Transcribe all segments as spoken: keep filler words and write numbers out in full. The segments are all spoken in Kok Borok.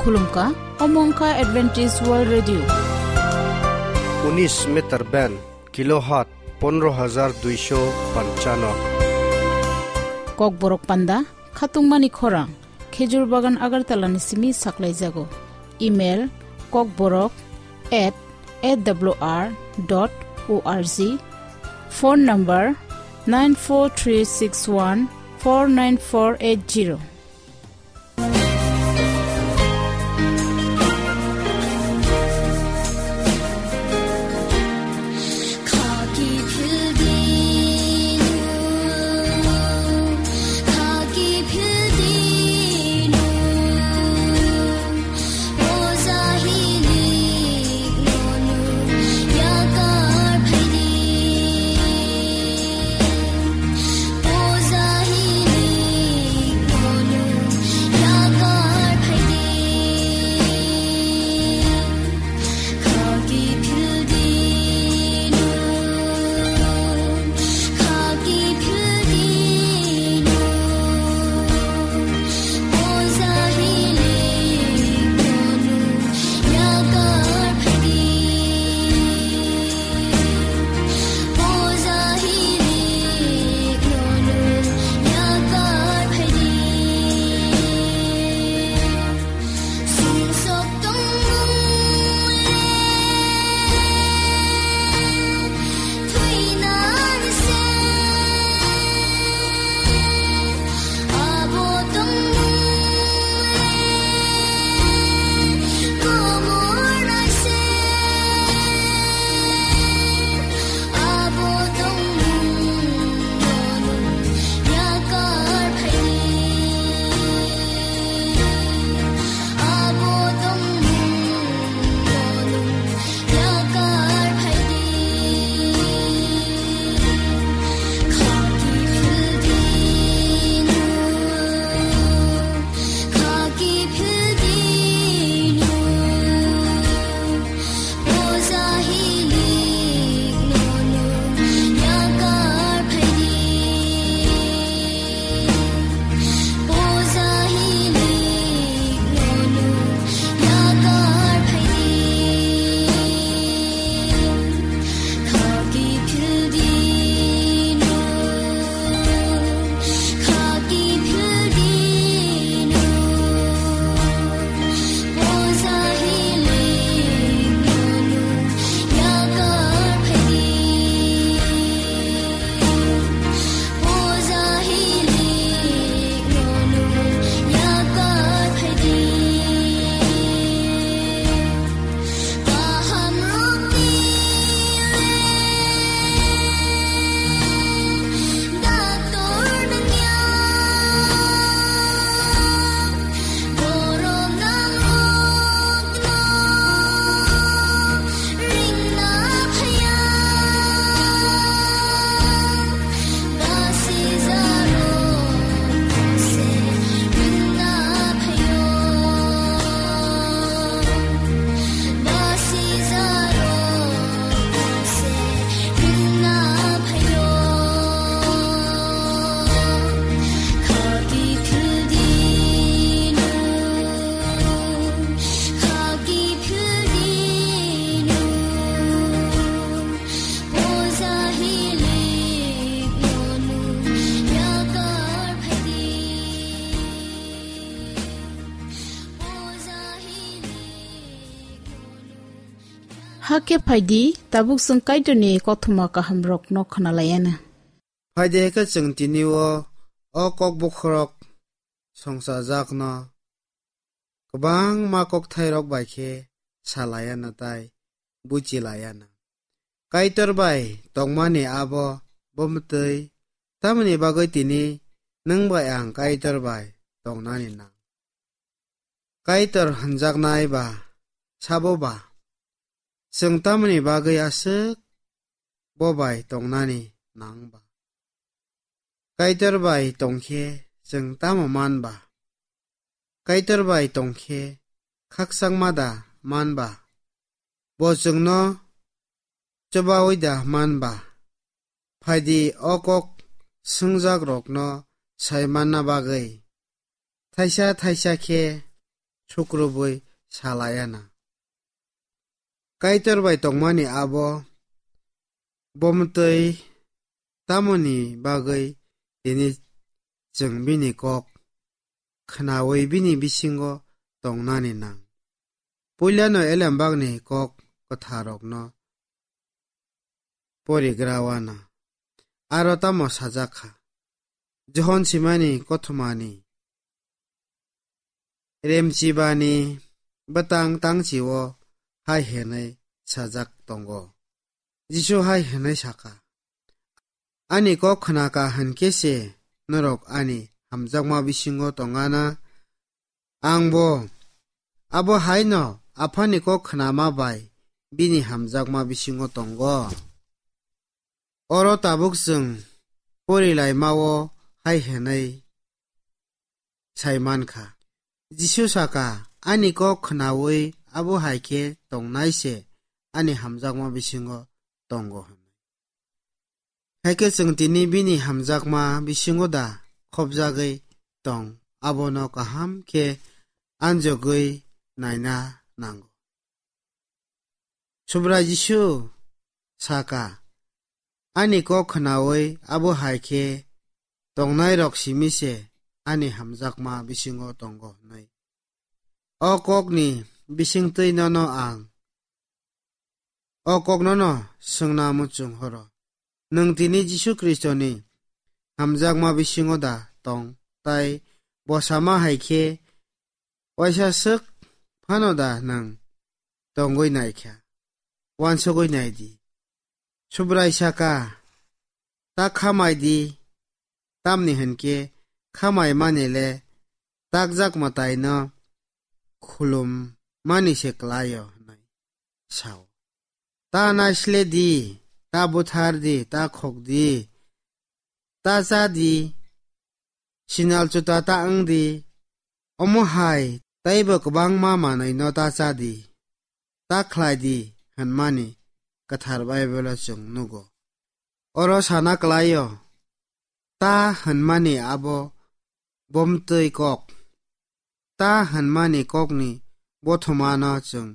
Khulumkha, omo wngkha Adventist World Radio. Unis meter band, kilohertz pondro hajar duisho panchano. Kokborok panda, khatungmani khorang, Khejur Bagan Agartala ni simi saklaijago. Email, kokborok at A W R dot O R G. Phone number, nine four three six one four nine four eight zero. Hakhe phaidi, tabuk chwng Kaitorni kothoma kahamrokno khwnalaiana. Phaidi, hakhe chwng tini o, o kok bokhorok songchajakno kwbangma kokthairok bai khe sa laiana tai buchi laiana. Kaitor bai tongmani abo bo mwtwi, tamoni bagwi tini nwng bai ang Kaitor bai tongnani nang? Kaitor hwnjaknai ba sabo ba? Chwng tamoni bagwi aswk bo bai tongnani nang ba? Kaitor bai tongkhe chwng tamo man ba? Kaitor bai tongkhe khakchangma da man ba? Bo chwngno chubaui da man ba? Phaidi, o kok swngjakrokno sai manna bagwi thaisa thaisa khe sukrubwi sa laiya na. Kaitor bai tongmani abo bomtwi tamoni bagwi tini chwng bini kok khnaui bini bisingo tongnani nang. Puilano elembakni kok kwtharrokno porigra wana. Aro tamo sajak kha? Johon simani kothomani remchibani bwtang tangchio hai hwnwi sajak tongo. Jisu hai hwnwi saka, "Ani kok khnaka hwnkhe se norok ani hamjakma bisingo tongana. Angbo abo haino Aphani kok khnama bai bini hamjakma bisingo tongo." Oro tabuk chwng porilaimao hai hwnwi sai man kha. Jisu saka, "Ani kok khnaui abo hai khe tongnai se ani hamjakma bisingo tongo," hwnwi. Hai khe chwng tini bini hamjakma bisingo da khopjagwi tong, abono kaham khe anjogwi naina nango. Subrai Jisu saka, "Ani kok khnaui abo hai khe tongnairok simi se ani hamjakma bisingo tongo," hwnwi. O kokni bisingtwi nono ang o koknono swngna muchung horo. Nwng tini Jisu Khristoni hamjakma bisingo da tong, tai bo sama hai khe waisa swk phano da nwng tongwi naikha? Wansugwi nai di. Subrai saka, "Ta khamai di, tamni hwn khe khamai mani le takjak mwtaino khulum mani se klai-o," hwnwi sao. "Ta naisle di, ta buthar di, ta khok di, ta cha di, sinal chuta ta wng di, omo hai teibo kwbangma manwino ta cha di, ta khlai di," hwnmani Kwthar Baibelo chwng nugo. Oro sana klai-o, ta hwnmani abo bomtwi kok. Ta hwnmani kokni bothomano chwng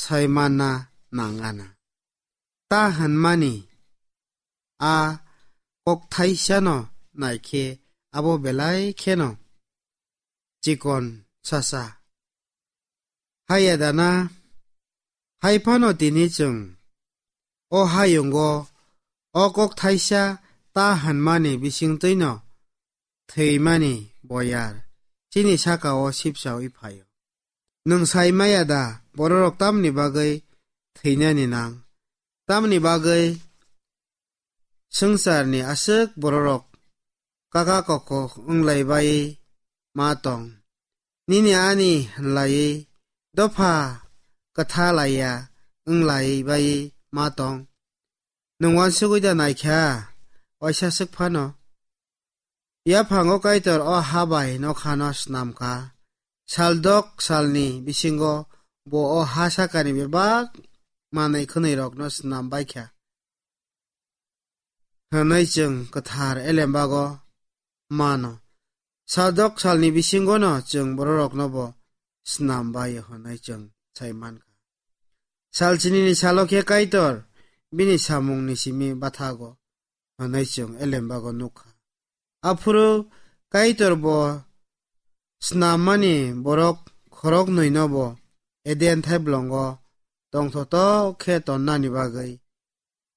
sai manna nangana. Ta hwnmani a kok thaisano naikhe abo belai kheno chikon sasa. Haya dana, hai phano tini chwng o hayungo o kok thaisa ta hwnmani bisingtwino thwimani boyar chini saka-o sipchaui phaio. Nwng sai maya da bororok tamni bagwi thwinani nang? Tamni bagwi swngcharni aswk bororok kaka kokok wnglai bai ma tong. Nini ani hwnlaiwi dopha kwtha laiya wnglai bai ma tong. Nwng wansugwi da naikha, waisa swk phano? Yaphango Kaitor o ha bai nokhano snam kha. Saldok salni bisingo bo o ha sakani bebak manwi khwnwirokno snam bai kha, hwnwi chwng kwthar elembago mano. Saldok salni bisingono chwng bororokno bo snam bai hwnwi chwng sai man kha. Sal chinini salo khe Kaitor bini samungni simi bathago hwnwi chwng elembago nuk kha. Aphuru Kaitor bo snammani borok khoroknwino bo Eden thaiblongo tongthotok khe tonnani bagwi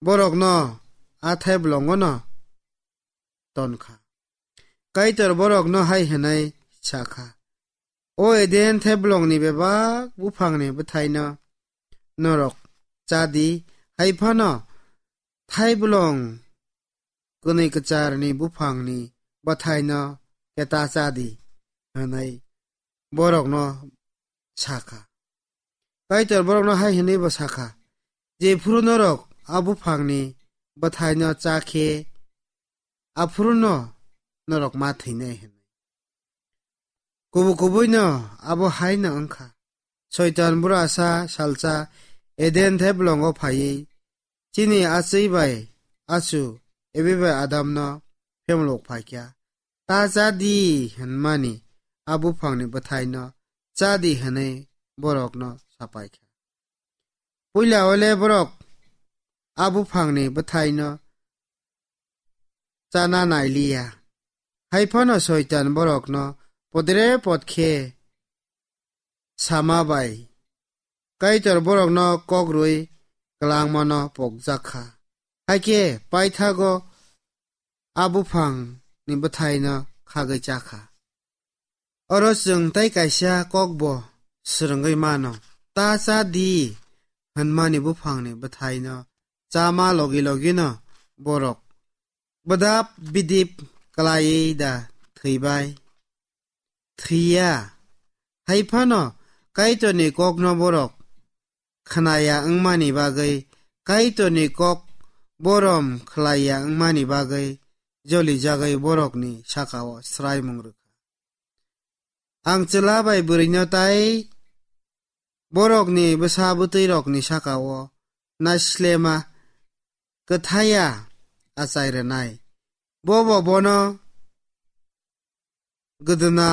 borokno a thaiblongono ton kha. Kaitor borokno hai hwnwi sa kha, "O Eden thaiblongni bebak buphangni bwthaino norok cha di, hai phano thaiblong kwnwi kwcharni buphangni bwthaino khe ta cha di," hwnwi borokno sa kha. Kaitor borokno hai hwnwi bo sa kha, "Jephuru norok a buphangni bwthaino cha khe, aphuruno norok ma thwinai," hwnwi. Kubu kubuino abo haino wng kha. Soitan bura sa salsa Eden thaiblongo phaiwi chini achwi bai achu Evi bai Adamno phemlok phai kha. Ta cha di hwnmani a buphangni bwthaino chadi hwnwi borokno sapai kha. Puila ole borok a buphangni bwthaino chana nailiya. Hai phano Soitan borokno podre pod khe sama bai Kaitor borokno kok rwi kwlangmano pokjak kha. Hakhe paithago a buphangni bwthaino khagwi cha kha. Oro chwng tei kaisa kokbo swrwngwi mano, "Ta cha di," hwnmani buphangni bwthaino chama logi logino borok bwdap bidip klaiwi da thwibai? Thwiya. Hai phano Kaitorni kokno borok khnaya wngmani bagwi, Kaitorni kok borom khlaiya wngmani bagwi jolijagwi borokni sakao swraimung rwkha. Ang chwla bai bwrwino tai borokni bwsa bwtwirokni sakao naislema kwthaya achai rwnai. Bobo bono gwdwna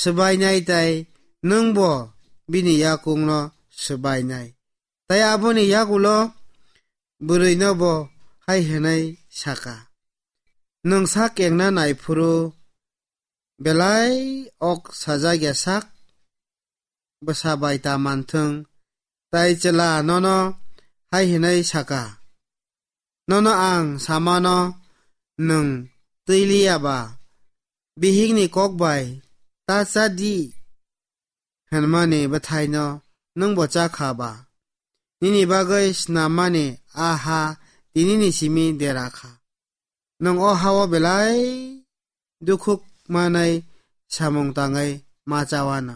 swbainai tai nwngbo bini yakungno swbainai. Tai aboni yagulo bwrwino bo hai hwnwi saka, "Nwng sak kengna naiphuru belai ok sajak ya sak bwsa bai ta manthwng, tai chwla nono hai hwnwi saka, nono ang samano nwng twi liya ba, bihikni kok bai ta cha di hwnmani bwthaino nwng bo cha kha ba? Nini bagwi snammani a ha tinini simi dera kha. Nwng o hao belai dukhuk manai samung tangwi ma chawano.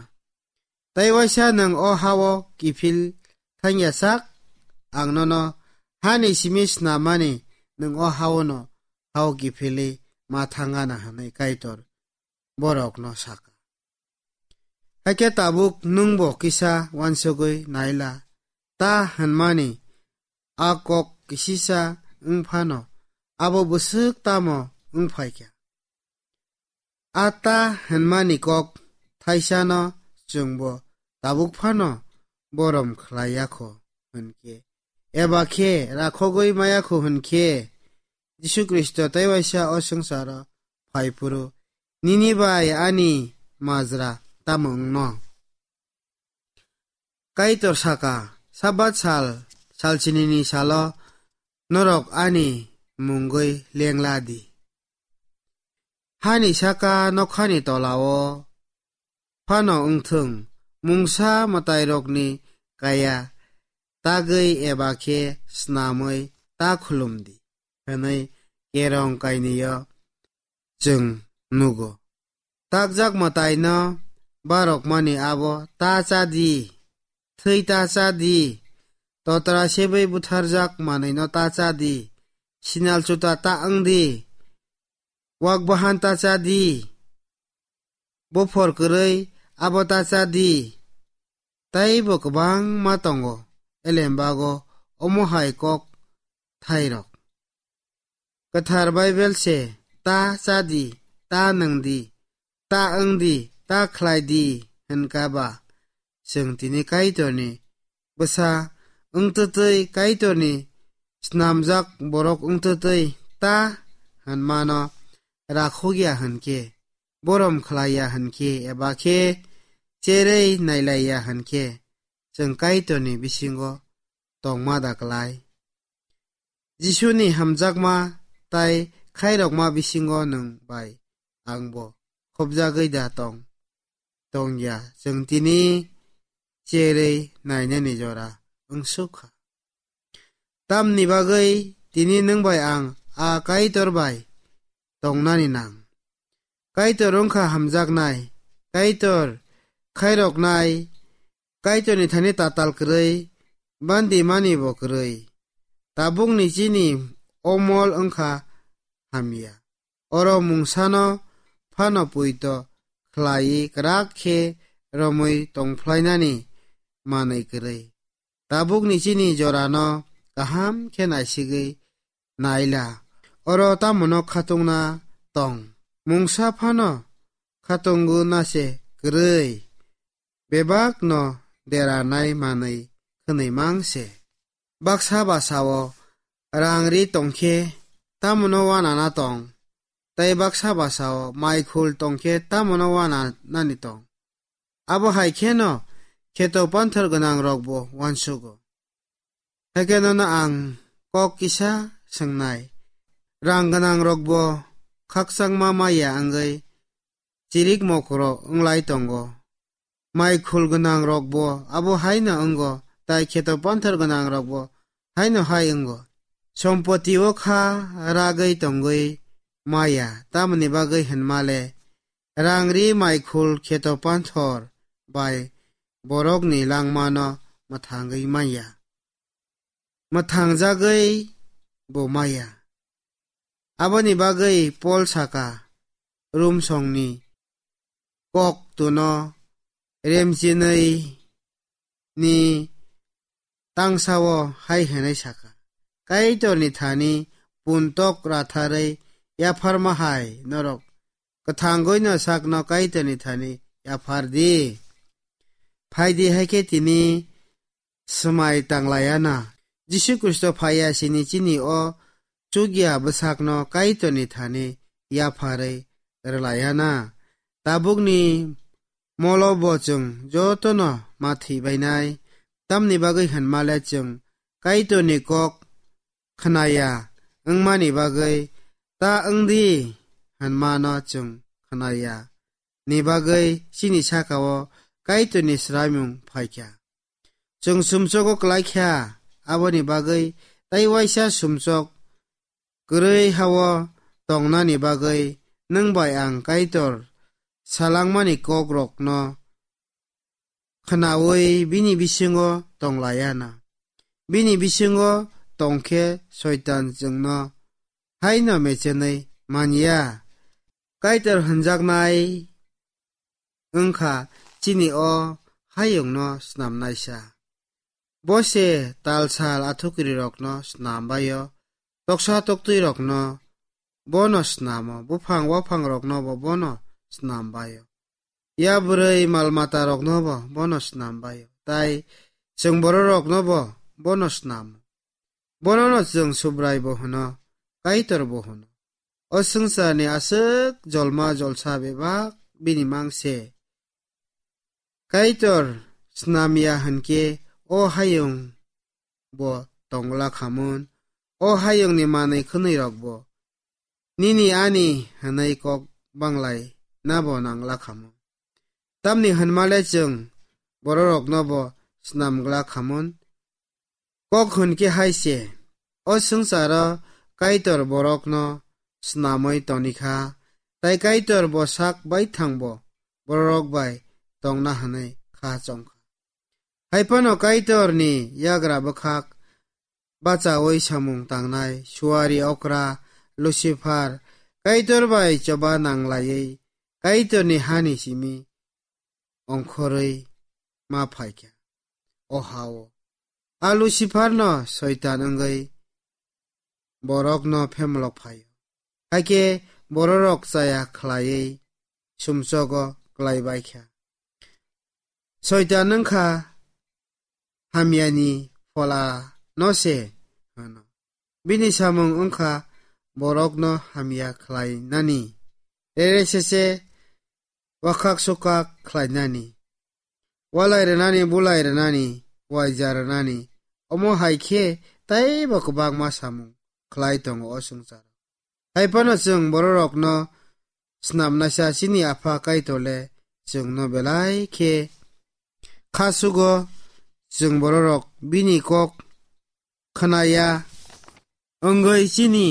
Tai waisa nwng o hao kiphil thangya sak, ang nono hani simi snammani nwng o haono hao kiphilwi ma thangana," hwnwi Kaitor borokno saka. Hakhe tabuk nwngbo kisa uansugwi naila, ta hwnmani a kok kisisa wng phano abo bwswk tamo wng phaikha? A ta hwnmani kok thaisano chwngbo tabuk phano borom khlai ya kho hwn khe, eba khe rakhogwi maya kho hwn khe, Jisu Khristo tei waisa o swngcharo phai phuru nini bai ani majra tamo wngno? Kaitor saka, Sabat sal, salchinini salo norok ani mungwi lengla di. Hani saka nokhani tolao phano wngthung, mungsa mwtairokni kaya tagwi eba khe snamwi ta khulum di, hwnwi Kerong kainwio chwng nugo. Takjak mwtaino barokmani abo ta cha di, thwi ta cha di, totra sebwi butharjak manwino ta cha di, sinal chuta ta wng di, wak bahan ta cha di, buphor kwrwi abo ta cha di, tei bo kwbangma tongo elembago omo hai kok thairok. Kwthar Baibel se, "Ta cha di, ta nwng di, ta wng di, ta khlai di," hwn kha ba, chwng tini Kaitorni bwsa wngtwtwi, Kaitorni snamjak borok wngtwtwi ta hwnmano rakhokya hwn khe, borom khlaiya hwn khe, eba khe cherwi nailaiya hwn khe, chwng Kaitorni bisingo tongma da klai? Jisuni hamjakma tai khairokma bisingo nwng bai angbo khopjagwi da tong? Tongya, chwng tini cherwi nainani jora wngsuk kha. Tamni bagwi tini nwng bai ang a Kaitor bai tongnani nang? Kaitor wngkha hamjaknai, Kaitor khairoknai, Kaitorni thani tatal kwrwi, bandi mani bo kwrwi. Tabukni chini omol wngkha hamya. Oro mungsano phano puito khlaiwi kwrak khe romwi tongphlainani manwi kwrwi. Tabukni chini jorano kaham khe naisigwi naila, oro tamono khatungna tong. Mungsa phano khatungo na se kwrwi, bebak no deranai manwi khwnwi mang se. Baksa basa o rang ri tongkhe tamono wanana tong, tei baksa basa o mai khul tongkhe tamono wananani tong. Abo hai kheno kheto panthor gwnang rokbo wansugo. Haikhe nono ang kok kisa swngnai. Rang gwnang rokbo khakchangma maya wngwi chirik mokro wnglai tongo. Mai khul gwnang rokbo abo haino wngo, tai kheto panthor gwnang rokbo haino hai wngo. Sompoti o kha ragwi tongwi maya, tamoni bagwi hinmale rang ri mai khul kheto panthor bai borokni langmano mwthangwi manya. Mwthangjagwi bo maya. Aboni bagwi Pol saka, Rum songni kok tuno remchinwi ni tangsao hai hwnwi saka, Kaitorni thani puntok ratharwi yapharma hai norok kwthangwi no sakno Kaitorni thani yaphar di. Phai di, haikhe tini swmai tanglaiya na. Jisu Khristo phaiya sini chini o chukya bwsakno Kaitorni thani yapharwi rwlaiya na. Tabukni molo bo chwng jotono ma thwi bainai, tamni bagwi hinmale chwng Kaitorni kok khnaya wngmani bagwi ta wng di hinmano chwng khnaya ni bagwi chini saka-o Kaitorni swraimung phaikha. Chwng sumsogo klaikha, aboni bagwi tei waisa sumsok kwrwi ha-o tongnani bagwi nwng bai ang Kaitor salangmani kokrokno khnaui bini bisingo tonglaiya na. Bini bisingo tongkhe Soitan chwngno haino mechenwi manya. Kaitor hwnjaknai wngkha chini o hayungno snamnaisa. Bo se talsal athukiri rokno snam baio, toksa toktwi rokno bono snamo, buphang waphang rokno bo bono snam baio. Ya bwrwi mal mata rokno bo bono snam baio, tai chwng borok rokno bo bono snamo. Bonono chwng Subrai bo hwno, Kaitor bo hwno. O swngcharni aswk jolma jolsa bebak bini mang se. Kaitor snamya hwnkhe o hayung bo tongla khamun, o hayungni manwi khwnwi rok bo nini ani hwnwi kok banglai na bo nangla khamun. Tamni hwnmale chwng bororokno bo snamgla khamun. Kok hwn khe hai se, o swngcharo Kaitor borokno snamwi toni kha, tai Kaitor bo sak baithang bo bororok bai tongna hwnwi kha chong kha. Hai phano Kaitorni yagra bwkhak bachaui samung tangnai suari okra Lucifer Kaitor bai choba nanglaiwi Kaitorni hani simi ongkhorwi ma phaikha. O ha-o a Luciferno Soitan wngwi borokno phemlok phaio. Hakhe bororok chaya khlaiwi sumsogo klai baikha. Soitan wngkha hamyani phola no se hwno. Bini samung wngkha borokno hamya khlainani, rere sese wakhak sukak khlainani, walai rwnani, bulai rwnani, waija rwnani, omo hai khe teibo kwbangma samung khlai tongo o swngcharo. Hai phano chwng bororokno snamnaisa chini Apha Kaitor le chwngno belai khe kha sugo, chwng bororok bini kok khnaya wngwi chini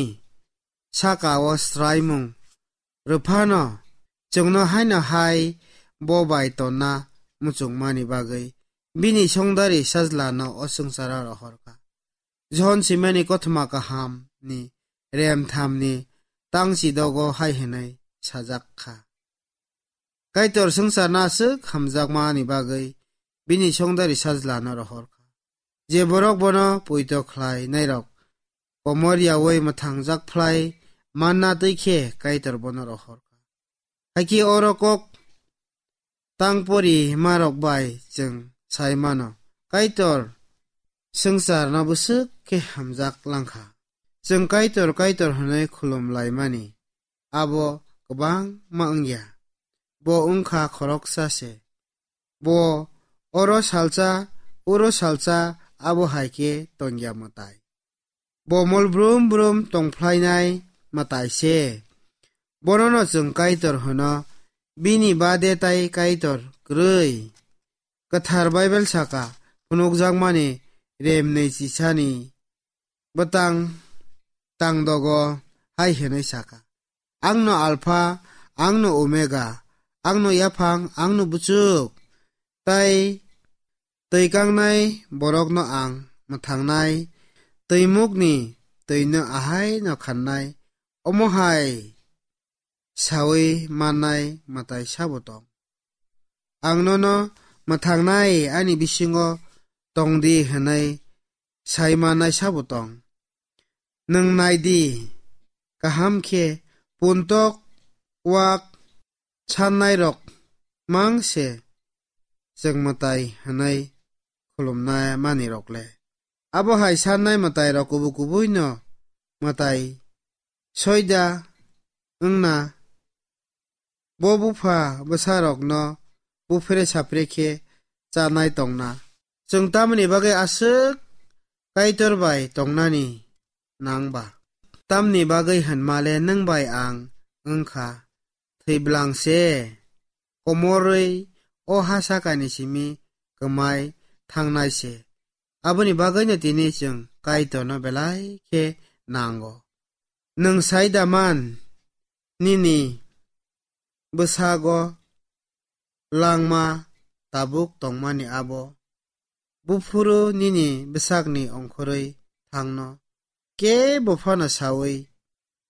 saka-o swraimung rwphano chwngno haino hai bo bai tonna muchungmani bagwi bini songdari sajlano o swngcharo rohor kha. Johon simani kothoma kaham ni rem thamni tangchi dogo hai hwnwi sajak kha. Kaitor swngcharno aswk hamjakmani bagwi bini songdari sajlano rohor kha. Je borok bono poito khlai nairok komor yaui mwthangjak phlai manna twi khe Kaitor bono rohor kha. Hakhe oro kok tangpori marok bai chwng sai mano, Kaitor swngcharno bwswk khe hamjak langkha. Chwng Kaitor, Kaitor hwnwi khulum laimani abo kwbangma wngya. Bo wngkha khoroksa se. Bo oro salsa, oro salsa, abo hai khe tongya mwtai. Bo mol brum brum tongphlainai mwtai se. Bonono chwng Kaitor hwno, bini bade tai Kaitor kwrwi. Kwthar Baibel saka, phunukjakmani remnwi chisani bwtang tangdogo hai hwnwi saka, "Angno Alpha, angno Omega, angno yaphang, angno buchuk." Tai twi kangnai borokno ang mwthangnai, twimukni twino ahaino khannai, omo hai saui mannai mwtai sabo tong. Ang nono mwthangnai ani bisingo tong di hwnwi sai mannai sabo tong. Nwng nai di, kaham khe puntok wak sannai rok mang se chwng mwtai hwnwi khulumna mani rok le. Abo hai sannai mwtai rok kubu kubui no mwtai soida wngna, bo bupha bwsa rok no buphere sapre khe chanai tongna. Chwng tamoni bagwi aswk Kaitor bai tongnani nang ba? Tamni bagwi hwnma le nwng bai ang wngkha thwi blang se, komorwi o ha sakani simi kwmai thangnai se. Aboni bagwino tini chwng Kaitorno belai khe nango. Nwng sai da man, nini bwsago langma tabuk tongmani abo buphuru nini bwsakni ongkhorwi thangno kebo phano saui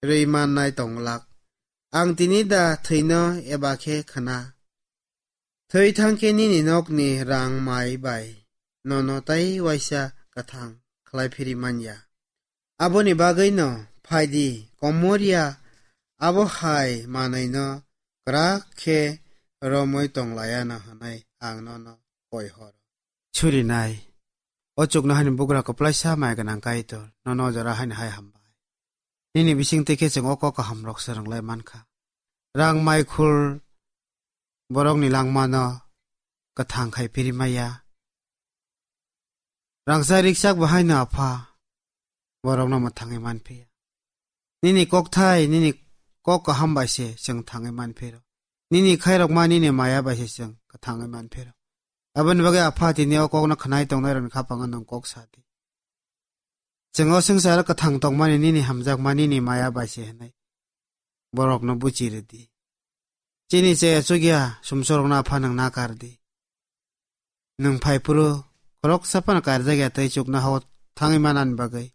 rwi mannai tong glak. Ang tini da thwino eba khe khna? Thwi thang khe nini nokni rang mai bai nono tai waisa kwthang khlai phiri man ya. Aboni bagwino phai di, komor ya, abo hai manwino kwrak khe romwi tong laiya no hwnwi ang nono koi horo. Surinai. O chuknohani bugra kwplaisa mai gwnang Kaitor, nono o jora haino hai hambai. Nini bisingtwi khe chwng o kok kahamrok swrwng lai mankha. Rang mai khul borokni langmano kwthang khai phiri maya. Rangchak rikchak bo haino Apha, borokno mwthangwi manphiya. Nini kokthai, nini kok kaham bai se chwng thangwi manphiro. Nini khairokma, nini maya bai se chwng kwthangwi manphiro. Aboni bagwi Apha, tini o kokno khwnai tongnairokni khapango nwng kok sa di. Chwng o swngcharo kwthang tongmani nini hamjakma, nini maya bai se hwnwi borokno buchi rw di. Chini chaya chukya sumsorokno Apha nwng nakar di. Nwng phai phuru khoroksa phano karjak ya tei chuknohao thangwi manani bagwi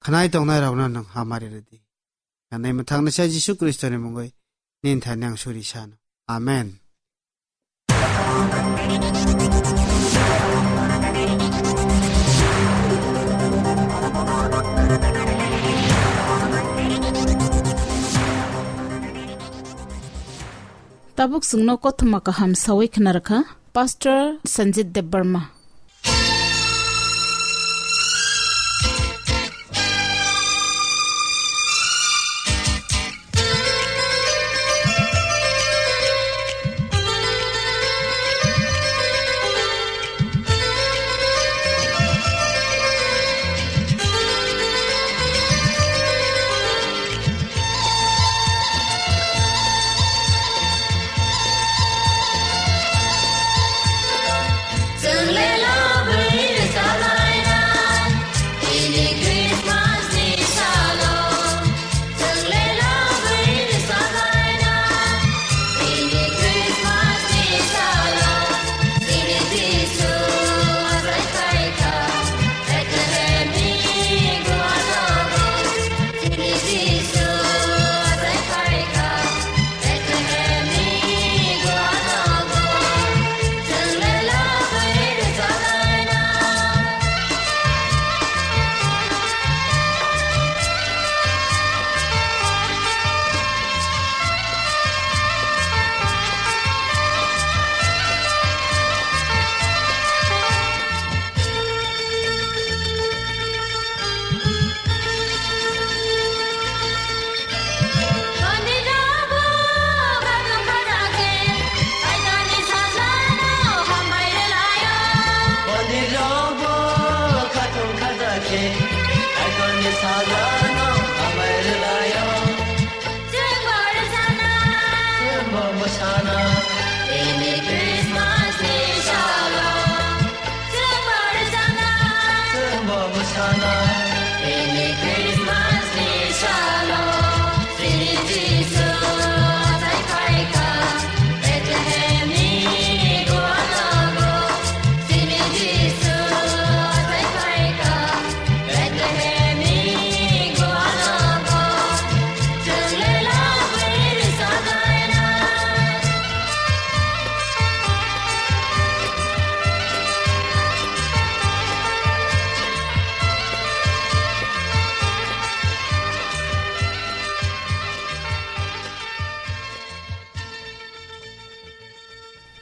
khwnai tongnairokno nwng hamari rw di. Hwnwi mwthangnaisa Jisu Khristoni mungwi nini thani ang suri sano. Amen. Tabuk chwngno kothoma kaham sawi khna rwkha Pastor Sanjit Debbarma.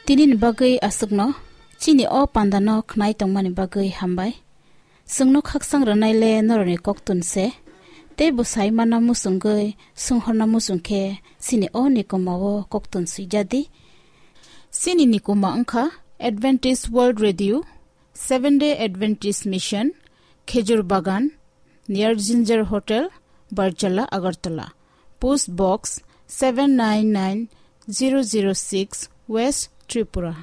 Tinini bagwi aswkno, chini o pandano khnai tongmani bagwi hambai. Chwngno khakchang rwnaile norokni koktun se, tei bwsai mana muchungwi swnghorna muchung khe chini o nikoma o koktun swijadi. Chini nikoma wngkha Adventist World Radio, Seventh Day Adventist Mission, Khejur Bagan, near Ginger Hotel, Barjala, Agartala. Post Box seven nine nine zero zero six, West Tripura.